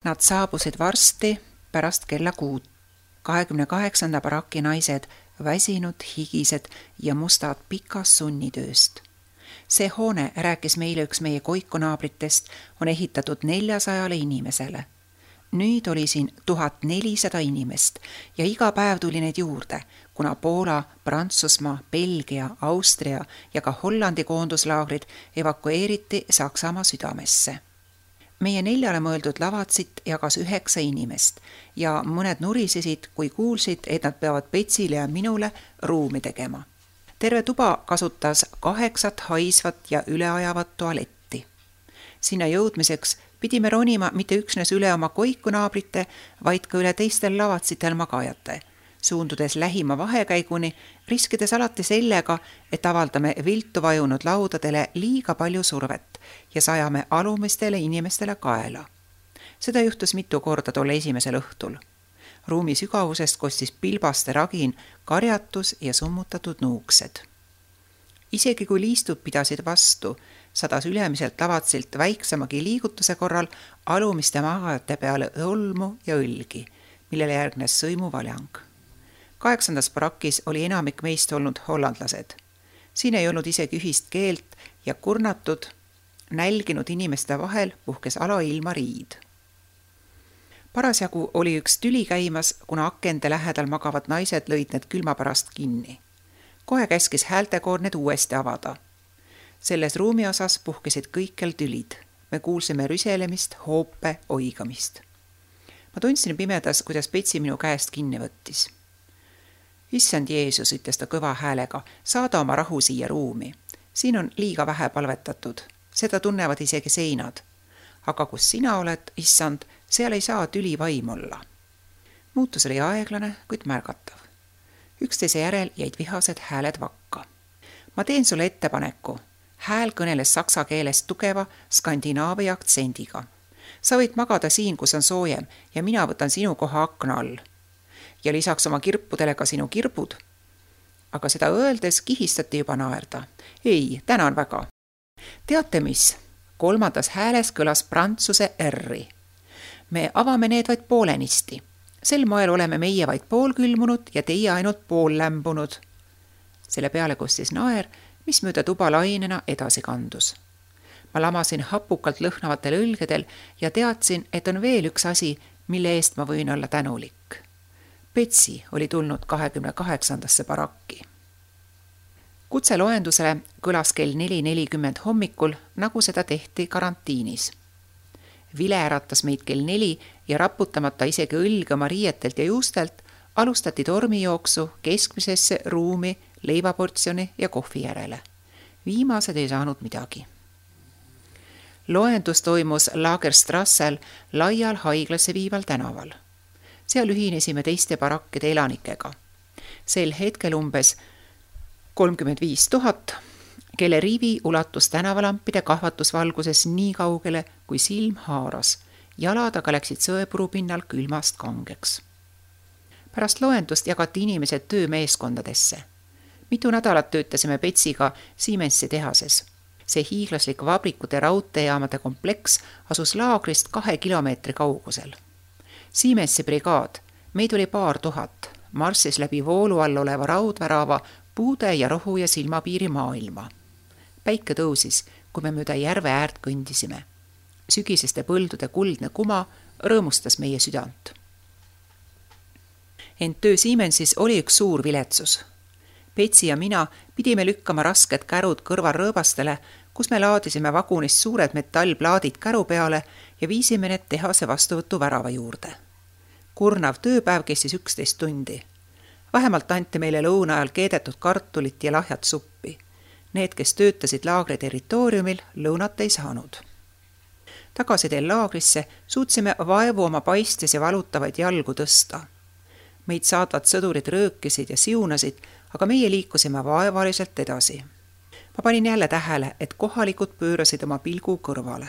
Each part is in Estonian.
Nad saabusid varsti pärast kella 6. 28. baraki naised, väsinud, higised ja mustad pikast sunnitööst. See hoone, rääkis meile üks meie koikunaabritest, on ehitatud 400 inimesele. Nüüd oli siin 1400 inimest ja iga päev tuli neid juurde, kuna Poola, Prantsusmaa, Belgia, Austria ja ka Hollandi koonduslaagrid evakueeriti Saksamaa südamesse. Meie 4 mõeldud lavatsit jagas 9 inimest ja mõned nurisesid, kui kuulsid, et nad peavad Petsile ja minule ruumi tegema. Terve tuba kasutas 8 haisvat ja üleajavat tualetti. Sinna jõudmiseks pidime ronima mitte üksnes üle oma koikunaabrite, vaid ka üle teistel lavatsitel magajate, suundudes lähima vahekäiguni, riskides alati sellega, et avaldame viltu vajunud laudadele liiga palju survet ja sajame alumistele inimestele kaela. Seda juhtus mitu korda tolle esimesel õhtul. Ruumi sügavusest kostis pilbaste ragin, karjatus ja summutatud nuuksed. Isegi kui liistud pidasid vastu, sadas ülemiselt lavatsilt väiksemagi liigutuse korral alumiste magajate peale õlmu ja õlgi, millele järgnes sõimuvaljang. 8. barakis oli enamik meist olnud hollandlased. Siin ei olnud isegi ühist keelt ja kurnatud, nälginud inimeste vahel puhkes alailma riid. Parasjagu oli üks tüli käimas, kuna akende lähedal magavad naised lõid need külma pärast kinni. Kohe käskis häältekoor need uuesti avada. Selles ruumi osas puhkesid kõikjal tülid. Me kuulsime rüselemist, hoope, oigamist. Ma tundsin pimedas, kuidas Petsi minu käest kinni võttis. Issand Jeesus, ütles ta kõva häälega, saada oma rahu siia ruumi. Siin on liiga vähe palvetatud. Seda tunnevad isegi seinad. Aga kus sina oled, issand, seal ei saa tüli vaim olla. Muutus oli aeglane, kuid märgatav. Üksteise järel jäid vihased hääled vakka. Ma teen sulle ettepaneku. Hääl kõneles saksa keeles tugeva skandinaavia aktsendiga. Sa võid magada siin, kus on soojem ja mina võtan sinu koha akna all. Ja lisaks oma kirpudele ka sinu kirbud. Aga seda öeldes kihistati juba naerda. Ei, tänan väga. Teate mis? 3. hääles kõlas prantsuse R-i. Me avame need vaid poolenisti. Sel moel oleme meie vaid poolkülmunud ja teie ainult pool lämbunud. Selle peale kostis naer, mis mööda tuba lainena edasi kandus. Ma lamasin hapukalt lõhnavatel õlgedel ja teadsin, et on veel üks asi, mille eest ma võin olla tänulik. Petsi oli tulnud 28. barakki. Kutseloendusele kõlas kell 4:40 hommikul, nagu seda tehti karantiinis. Vile äratas meid kell 4 ja raputamata isegi õlge oma riietelt ja juustelt, alustati tormijooksu keskmisesse ruumi, leivaportsjoni ja kohvi järele. Viimased ei saanud midagi. Loendus toimus Lagerstrassel laial haiglasse viival tänaval. Seal ühinesime teiste barakkide elanikega. Sel hetkel umbes 35 000, kelle rivi ulatus tänavalampide kahvatusvalguses nii kaugele, kui silm haaras. Jalad aga läksid sõepuru pinnal külmast kangeks. Pärast loendust jagati inimesed töömeeskondadesse. Mitu nädalat töötasime Petsiga Siemensi tehases. See hiiglaslik vabrikute raudteejaamade kompleks asus laagrist 2 kilomeetri kaugusel. Siemensi brigaad, meid oli 2000, marssis läbi voolu all oleva raudvärava puude ja rohu ja silmapiiri maailma. Päike tõusis, kui me mööda järve äärt kõndisime. Sügiseste põldude kuldne kuma rõõmustas meie südant. Ent töö Siemensis oli üks suur viletsus. Petsi ja mina pidime lükkama rasked kärud kõrvarõõbastele, kus me laadisime vagunist suured metallplaadid käru peale ja viisime need tehase vastuvõtu värava juurde. Kurnav tööpäev kestis 11 tundi. Vähemalt anti meile lõuna ajal keedetud kartulit ja lahjat suppi. Need, kes töötasid laagri territooriumil, lõunat ei saanud. Tagasi teel laagrisse suutsime vaevu oma paistes ja valutavaid jalgu tõsta. Meid saatvad sõdurid röökisid ja siunasid, aga meie liikusime vaevaliselt edasi. Ma panin jälle tähele, et kohalikud pöörasid oma pilgu kõrvale.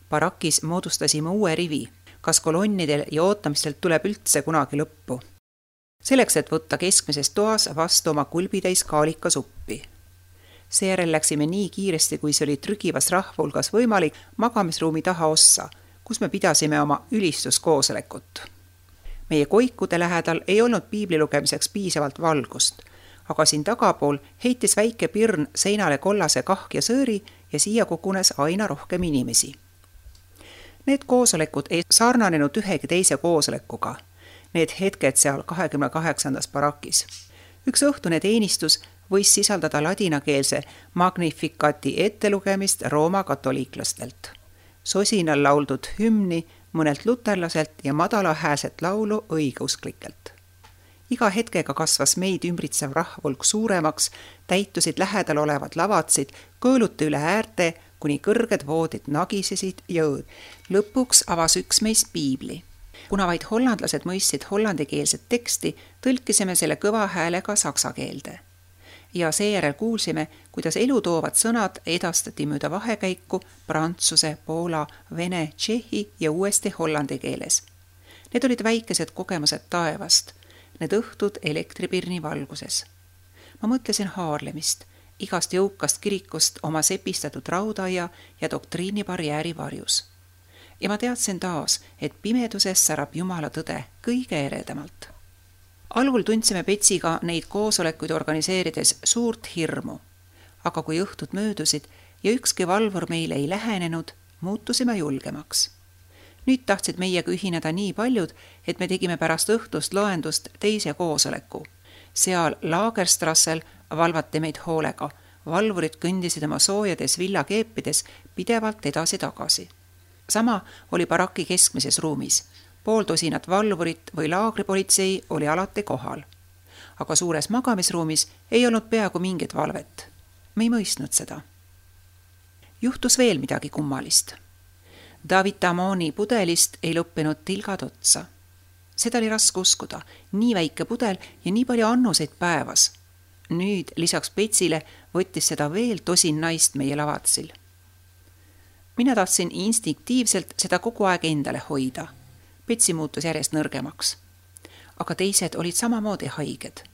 Barakis moodustasime uue rivi, kas kolonnidel ja ootamistelt tuleb üldse kunagi lõppu. Selleks, et võtta keskmises toas vastu oma kulbitäis kaalika suppi. Seejärel läksime nii kiiresti, kui see oli trügivas rahvulgas võimalik magamisruumi taha ossa, kus me pidasime oma ülistuskoosolekut. Meie koikude lähedal ei olnud piibli lugemiseks piisavalt valgust, aga siin tagapool heitis väike pirn seinale kollase kahkjasööri ja siia kogunes aina rohkem inimesi. Need koosolekud ei sarnanenud ühegi teise koosolekuga. Need hetked seal 28. barakis. Üks õhtune teenistus võis sisaldada ladinakeelse Magnificati ettelugemist Rooma katoliiklastelt, sosinal lauldud hümni mõnelt luterlaselt ja madalahääset laulu õigeusklikelt. Iga hetkega kasvas meid ümbritsev rahvulk suuremaks, täitusid lähedal olevad lavadsid, kõõluti üle äärte, kuni kõrged voodid nagisesid ja lõpuks avas üks meist piibli. Kuna vaid hollandlased mõistsid hollandikeelset teksti, tõlkisime selle kõva häälega saksa keelde. Ja seejärel kuulsime, kuidas elutoovad sõnad edastati mööda vahekäiku prantsuse, poola, vene, tšehhi ja uuesti hollandi keeles. Need olid väikesed kogemused taevast, need õhtud elektripirni valguses. Ma mõtlesin Haarlemist, igast jõukast kirikust oma sepistatud raudaia ja doktriinibarjääri varjus. Ja ma teadsin taas, et pimeduses särab Jumala tõde kõige eredamalt. Algul tundsime Petsiga neid koosolekuid organiseerides suurt hirmu, aga kui õhtud möödusid ja ükski valvur meile ei lähenenud, muutusime julgemaks. Nüüd tahtsid meiega ühineda nii paljud, et me tegime pärast õhtust loendust teise koosoleku. Seal Lagerstrassel valvati meid hoolega, valvurid kõndisid oma soojades villakeepides pidevalt edasi-tagasi. Sama oli baraki keskmises ruumis. Pooltosinat valvurit või laagripolitsei oli alati kohal. Aga suures magamisruumis ei olnud peaaegu mingit valvet. Me ei mõistnud seda. Juhtus veel midagi kummalist. David Tamoni pudelist ei lõppenud tilgad otsa. Seda oli raske uskuda, nii väike pudel ja nii palju annuseid päevas. Nüüd lisaks Petsile võttis seda veel tosin naist meie lavadsil. Mina tahtsin instinktiivselt seda kogu aeg endale hoida. Petsi muutus järjest nõrgemaks. Aga teised olid samamoodi haiged.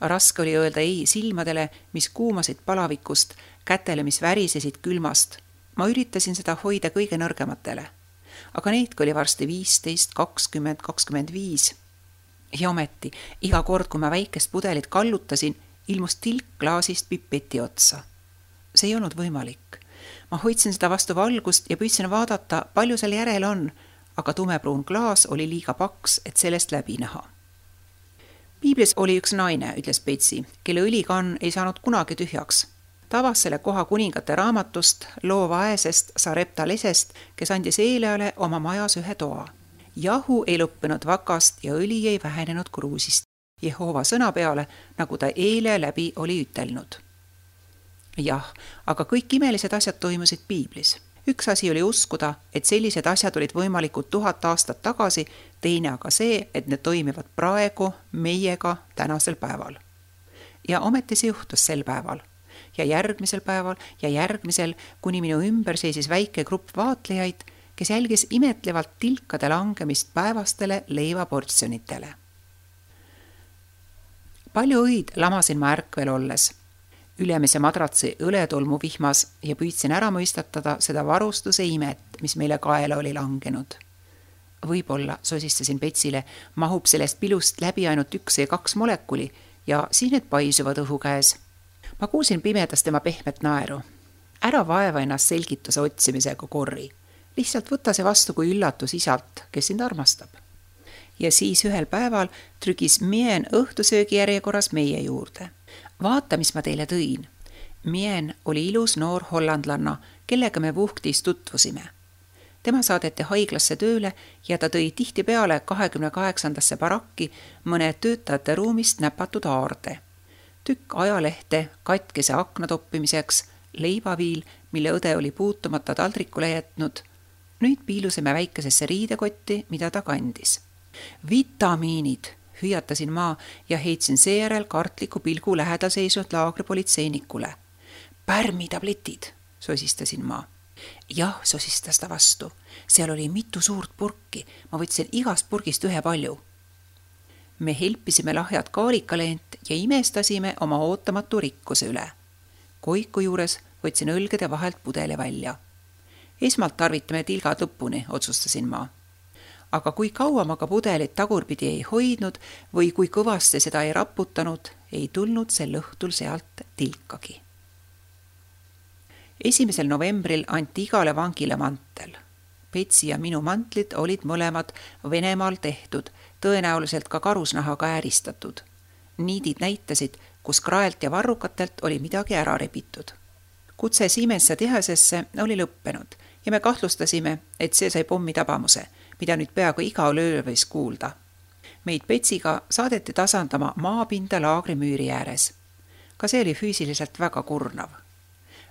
Raske oli öelda ei silmadele, mis kuumasid palavikust, kätele, mis värisesid külmast. Ma üritasin seda hoida kõige nõrgematele. Aga neidki oli varsti 15, 20, 25. Ja ometi, iga kord, kui ma väikest pudelit kallutasin, ilmus tilk klaasist pipeti otsa. See ei olnud võimalik. Ma hoidsin seda vastu valgust ja püüdsin vaadata, palju seal järel on, aga tumepruun klaas oli liiga paks, et sellest läbi näha. Piiblis oli üks naine, ütles Petsi, kelle õlikann ei saanud kunagi tühjaks. Tavas selle koha kuningate raamatust, loo vaesest Sarepta lesest, kes andis Eeleale oma majas ühe toa. Jahu ei lõppenud vakast ja õli ei vähenenud kruusist. Jehova sõna peale, nagu ta Eele läbi oli ütelnud. Jah, aga kõik imelised asjad toimusid Piiblis. Üks asi oli uskuda, et sellised asjad olid võimalikud 1000 aastat tagasi, teine aga see, et need toimivad praegu meiega tänasel päeval. Ja ometi see juhtus sel päeval. Ja järgmisel päeval ja järgmisel, kuni minu ümber seisis väike grupp vaatlejaid, kes jälgis imetlevalt tilkade langemist päevastele leivaportsjonitele. Palju õid lamasin ma ärkvel olles. Ülemise madratsi õletolmu vihmas ja püüdsin ära mõistatada seda varustuse imet, mis meile kaela oli langenud. Võib-olla, sosistasin Petsile, mahub sellest pilust läbi ainult 1 või 2 molekuli ja siis need paisuvad õhu käes. Ma kuulsin pimedas tema pehmet naeru. Ära vaeva ennast selgituse otsimisega korri. Lihtsalt võta see vastu kui üllatus isalt, kes sind armastab. Ja siis ühel päeval trügis Mien õhtusöögi järjekorras meie juurde. Vaata, mis ma teile tõin. Mien oli ilus noor hollandlanna, kellega me Vuhktis tutvusime. Tema saadeti haiglasse tööle ja ta tõi tihtipeale 28. barakki mõne töötajate ruumist näpatud aarde. Tükk ajalehte katkese akna toppimiseks, leivaviil, mille õde oli puutumata taldrikule jätnud. Nüüd piilusime väikesesse riidekotti, mida ta kandis. Vitamiinid, hüüatasin ma ja heitsin seejärel kartliku pilgu lähedal seisnud laagripolitseinikule. Pärmitabletid, sosistasin ma. Jah, sosistas ta vastu. Seal oli mitu suurt purki. Ma võtsin igast purgist ühe palju. Me helpisime lahjad kaalikaleent ja imestasime oma ootamatu rikkuse üle. Koiku juures võtsin õlgede vahelt pudeli välja. Esmalt tarvitame tilgad lõpuni, otsustasin ma. Aga kui kaua ma ka pudelit tagurpidi ei hoidnud või kui kõvasti seda ei raputanud, ei tulnud sel õhtul sealt tilkagi. 1. novembril anti igale vangile mantel. Petsi ja minu mantlid olid mõlemad Venemaal tehtud, tõenäoliselt ka karusnahaga ääristatud. Niidid näitasid, kus kraelt ja varrukatelt oli midagi ära rebitud. Kutse Siemensa tehasesse oli lõppenud ja me kahtlustasime, et see sai pommi tabamuse, mida nüüd peaaegu iga öö võis kuulda. Meid Petsiga saadeti tasandama maapinda laagri müüri ääres. Ka see oli füüsiliselt väga kurnav.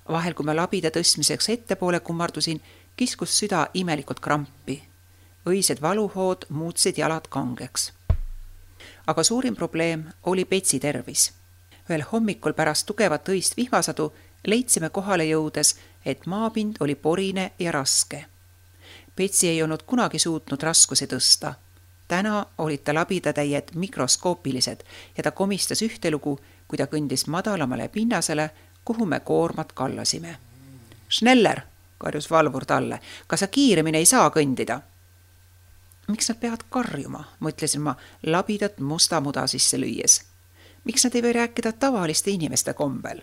Vahel, kui ma labida tõstmiseks ettepoole kummardusin, kiskus süda imelikult krampi. Õised valuhood muutsid jalad kangeks. Aga suurim probleem oli Petsi tervis. Ühel hommikul pärast tugevat õist vihmasadu leidsime kohale jõudes, et maapind oli porine ja raske. Petsi ei olnud kunagi suutnud raskusi tõsta. Täna olid ta labidatäied mikroskoopilised ja ta komistas ühtelugu, kui ta kõndis madalamale pinnasele, kuhu me koormat kallasime. Schneller, karjus valvur talle, kas sa kiiremini ei saa kõndida? Miks nad peavad karjuma, mõtlesin ma labidat musta muda sisse lüües. Miks nad ei või rääkida tavaliste inimeste kombel?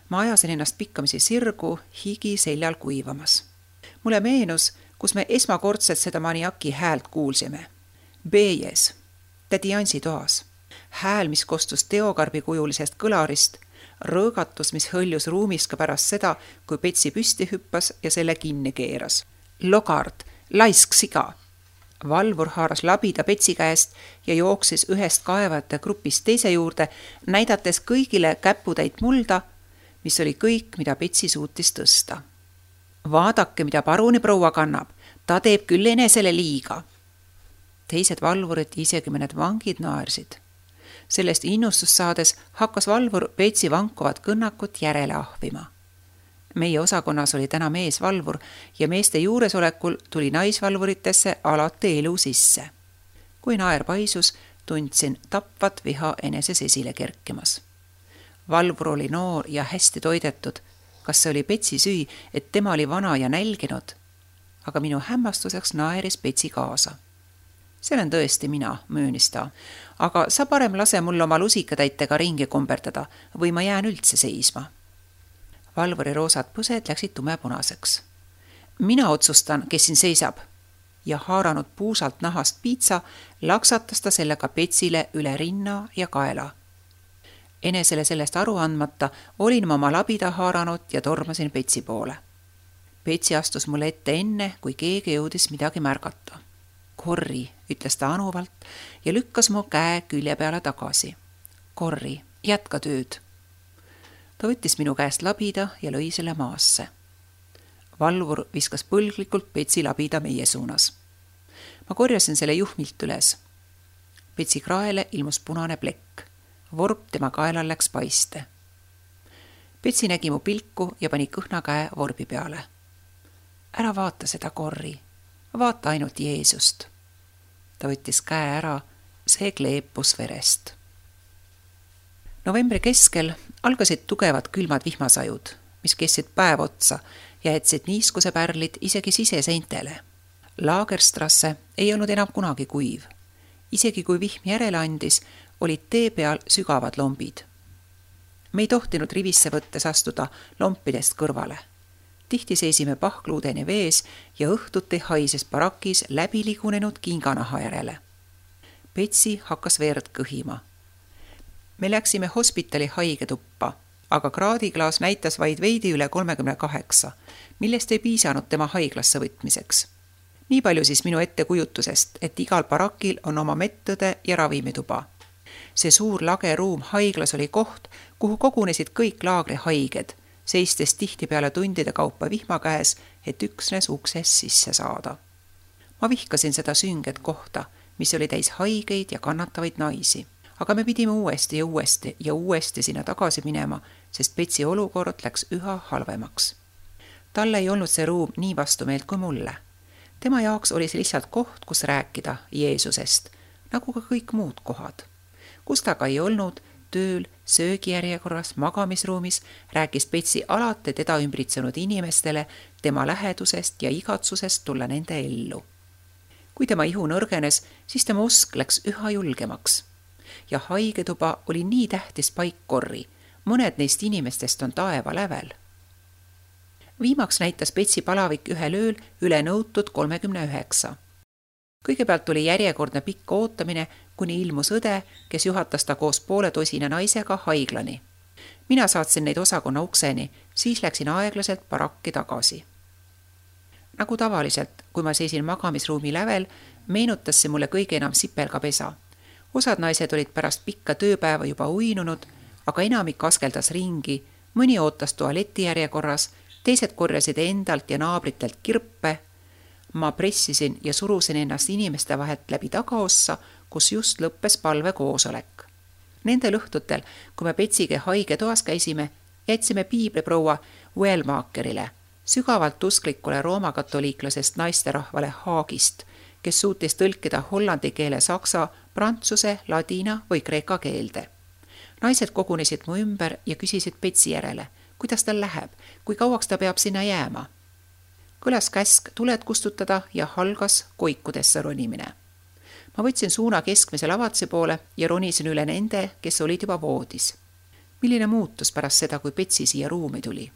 Ma ajasin ennast pikkamisi sirgu, higi seljal kuivamas. Mulle meenus, kus me esmakordselt seda maniaki häält kuulsime. Bejes, tädi Ansi toas. Hääl, mis kostus teokarbi kujulisest kõlarist, rõõgatus, mis hõljus ruumis ka pärast seda, kui Petsi püsti hüppas ja selle kinni keeras. Logard, laisk siga. Valvur haaras labida Petsi käest ja jooksis ühest kaevajate grupist teise juurde, näidates kõigile käputäit mulda, mis oli kõik, mida Petsi suutis tõsta. Vaadake, mida paruni proua kannab, ta teeb küll enesele liiga. Teised valvurid, isegi mõned vangid naersid. Sellest innustust saades hakkas valvur Petsi vankuvat kõnnakut järele ahvima. Meie osakonnas oli täna meesvalvur ja meeste juuresolekul tuli naisvalvuritesse alati elu sisse. Kui naer paisus, tundsin tapvat viha eneses esile kerkimas. Valvur oli noor ja hästi toidetud. Kas see oli Petsi süü, et tema oli vana ja nälginud? Aga minu hämmastuseks naeris Petsi kaasa. See olen tõesti mina, möönis ta, aga sa parem lase mul oma lusikatäitega ringi komberdada või ma jään üldse seisma. Valvuri roosad põsed läksid tumepunaseks. Mina otsustan, kes siin seisab. Ja haaranud puusalt nahast piitsa, laksatas ta sellega Petsile üle rinna ja kaela. Enesele sellest aru andmata olin ma oma labida haaranud ja tormasin Petsi poole. Petsi astus mulle ette enne, kui keegi jõudis midagi märgata. Korri, ütles ta anuvalt ja lükkas mu käe külje peale tagasi. Korri, jätka tööd. Ta võttis minu käest labida ja lõi selle maasse. Valvur viskas põlglikult Petsi labida meie suunas. Ma korjasin selle juhmilt üles. Petsi kraele ilmus punane plekk. Vorp tema kaelal läks paiste. Petsi nägi mu pilku ja pani kõhna käe vorbi peale. Ära vaata seda, Korri. Vaata ainult Jeesust. Ta võttis käe ära, see kleepus verest. Novembri keskel algasid tugevad külmad vihmasajud, mis kestsid päev otsa ja jätsid niiskuse pärlid isegi siseseintele. Lagerstrasse ei olnud enam kunagi kuiv. Isegi kui vihm järele andis, olid tee peal sügavad lombid. Me ei tohtinud rivisse võttes astuda lompidest kõrvale. Tihti seisime pahkluudeni vees ja õhtuti haises barakis läbiligunenud kinganaha järele. Petsi hakkas verd kõhima. Me läksime hospitali haigetuppa, aga kraadiklaas näitas vaid veidi üle 38, millest ei piisanud tema haiglasse võtmiseks. Nii palju siis minu ettekujutusest, et igal barakil on oma medõde ja ravimituba. See suur lage ruum haiglas oli koht, kuhu kogunesid kõik laagri haiged, seistes tihtipeale tundide kaupa vihma käes, et üksnes ukses sisse saada. Ma vihkasin seda sünget kohta, mis oli täis haigeid ja kannatavaid naisi. Aga me pidime uuesti ja uuesti sinna tagasi minema, sest Petsi olukord läks üha halvemaks. Talle ei olnud see ruum nii vastumeelt kui mulle. Tema jaoks oli see lihtsalt koht, kus rääkida Jeesusest, nagu ka kõik muud kohad. Kus ta ka ei olnud, tööl, söögijärjekorras, magamisruumis rääkis Betsi alati teda ümbritsenud inimestele tema lähedusest ja igatsusest tulla nende ellu. Kui tema ihu nõrgenes, siis tema usk läks üha julgemaks. Ja haigetuba oli nii tähtis paikkorri, mõned neist inimestest on taeva lävel. Viimaks näitas Betsi palavik ühel ööl üle nõutud 39. Kõigepealt tuli järjekordne pikk ootamine, kuni ilmus õde, kes juhatas ta koos 1,5 naisega haiglani. Mina saatsin neid osakonna ukseni, siis läksin aeglaselt barakki tagasi. Nagu tavaliselt, kui ma seisin magamisruumi lävel, meenutas see mulle kõige enam sipelgapesa. Osad naised olid pärast pikka tööpäeva juba uinunud, aga enamik askeldas ringi, mõni ootas tualeti järjekorras, teised korjasid endalt ja naabritelt kirpe. Ma pressisin ja surusin ennast inimeste vahelt läbi tagaossa, kus just lõppes palvekoosolek. Nendel õhtutel, kui me Betsige haige toas käisime, jätsime piibliproua Wellmakerile, sügavalt usklikule roomakatoliiklasest naisterahvale Haagist, kes suutis tõlkida hollandi keele saksa, prantsuse, ladina või kreeka keelde. Naised kogunesid mu ümber ja küsisid Betsi järele, kuidas tal läheb, kui kauaks ta peab sinna jääma. Kõlas käsk tuled kustutada ja algas koikudesse ronimine. Ma võtsin suuna keskmise lavatse poole ja ronisin üle nende, kes olid juba voodis. Milline muutus pärast seda, kui Betsi siia ruumi tuli?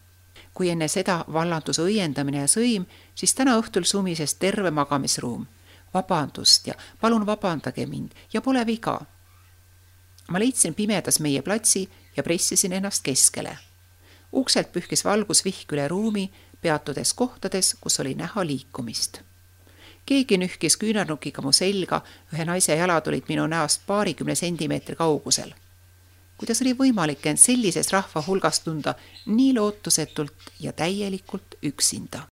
Kui enne seda vallandus õiendamine ja sõim, siis täna õhtul sumises terve magamisruum. Vabandust ja palun vabandage mind ja pole viga. Ma leidsin pimedas meie platsi ja pressisin ennast keskele. Ukselt pühkis valgus vihk üle ruumi, peatudes kohtades, kus oli näha liikumist. Keegi nühkis küünarnukiga mu selga, ühe naise jalad olid minu näost 20 sentimeetri kaugusel. Kuidas oli võimalik end sellises rahva hulgas tunda nii lootusetult ja täielikult üksinda?